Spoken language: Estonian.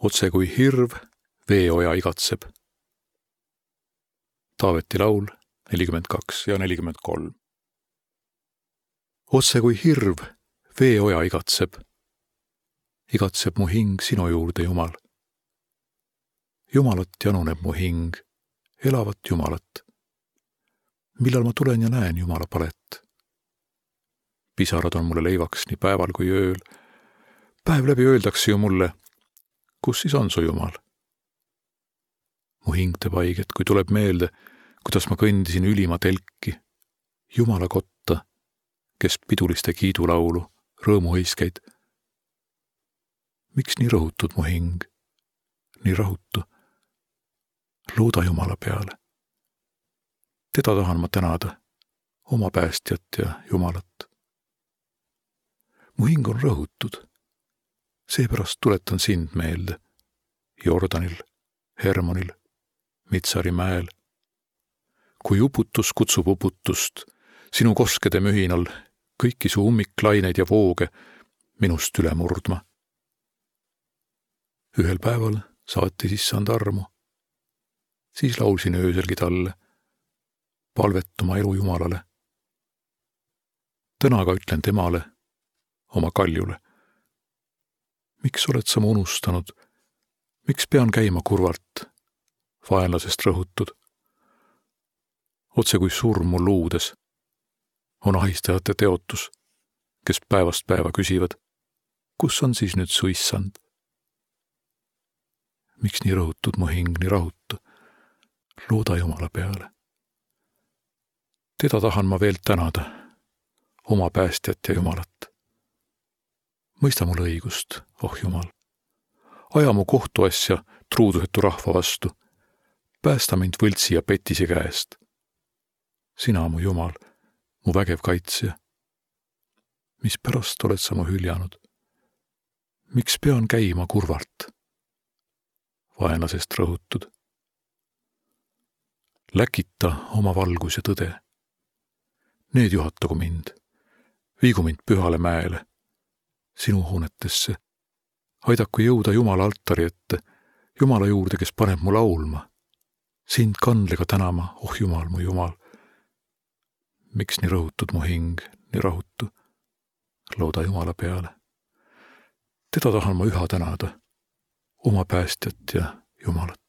Otse kui hirv veeoja igatseb. Taaveti laul 42 ja 43. Otse kui hirv veeoja igatseb. Igatseb mu hing sinu juurde, Jumal. Jumalat januneb mu hing, elavat Jumalat. Millal ma tulen ja näen Jumala palet? Pisarad on mulle leivaks nii päeval kui ööl. Päev läbi öeldakse ju mulle, kus siis on su Jumal? Mu hing teeb haiget, kui tuleb meelde, kuidas ma kõndisin ülima telki, Jumala kotta, kes piduliste kiidulaulu, rõõmuhõiskeid. Miks nii rõhutud mu hing? Nii rahutu. Looda Jumala peale. Teda tahan ma tänada, oma päästjat ja Jumalat. Mu hing on rõhutud. Seepärast tuletan sind meelde Jordanil, Hermonil, Mitsari mäel. Kui uputus kutsub uputust, sinu koskede mühinal kõiki su ummiklaineid ja vooge minust üle murdma. Ühel päeval saati issand armu. Siis laulsin ööselgi talle, palvetuma elu Jumalale. Tänaga ütlen temale, oma kaljule. Miks oled sa mu unustanud? Miks pean käima kurvalt, vaenlasest rõhutud? Otse kui surm mul luudes on ahistajate teotus, kes päevast päeva küsivad, kus on siis nüüd su issand? Miks nii rõhutud mu hing, nii rahutu? Looda Jumala peale. Teda tahan ma veel tänada, oma päästjat ja Jumalat. Mõista mul õigust, oh Jumal. Aja mu kohtuasja truudusetu rahva vastu. Päästa mind võltsi ja petisi käest. Sina, mu Jumal, mu vägev kaitsja. Mispärast oled sa mu hüljanud? Miks pean käima kurvalt? Vaenlasest rõhutud. Läkita oma valgus ja tõde. Need juhatagu mind. Viigu mind pühale mäele. Sinu hoonetesse. Aidaku jõuda Jumala altari ette, Jumala juurde, kes paneb mu laulma. Sind kandlega tänama, oh Jumal, mu Jumal. Miks nii rõhutud mu hing, nii rahutu? Looda Jumala peale. Teda tahan ma üha tänada, oma päästjat ja Jumalat.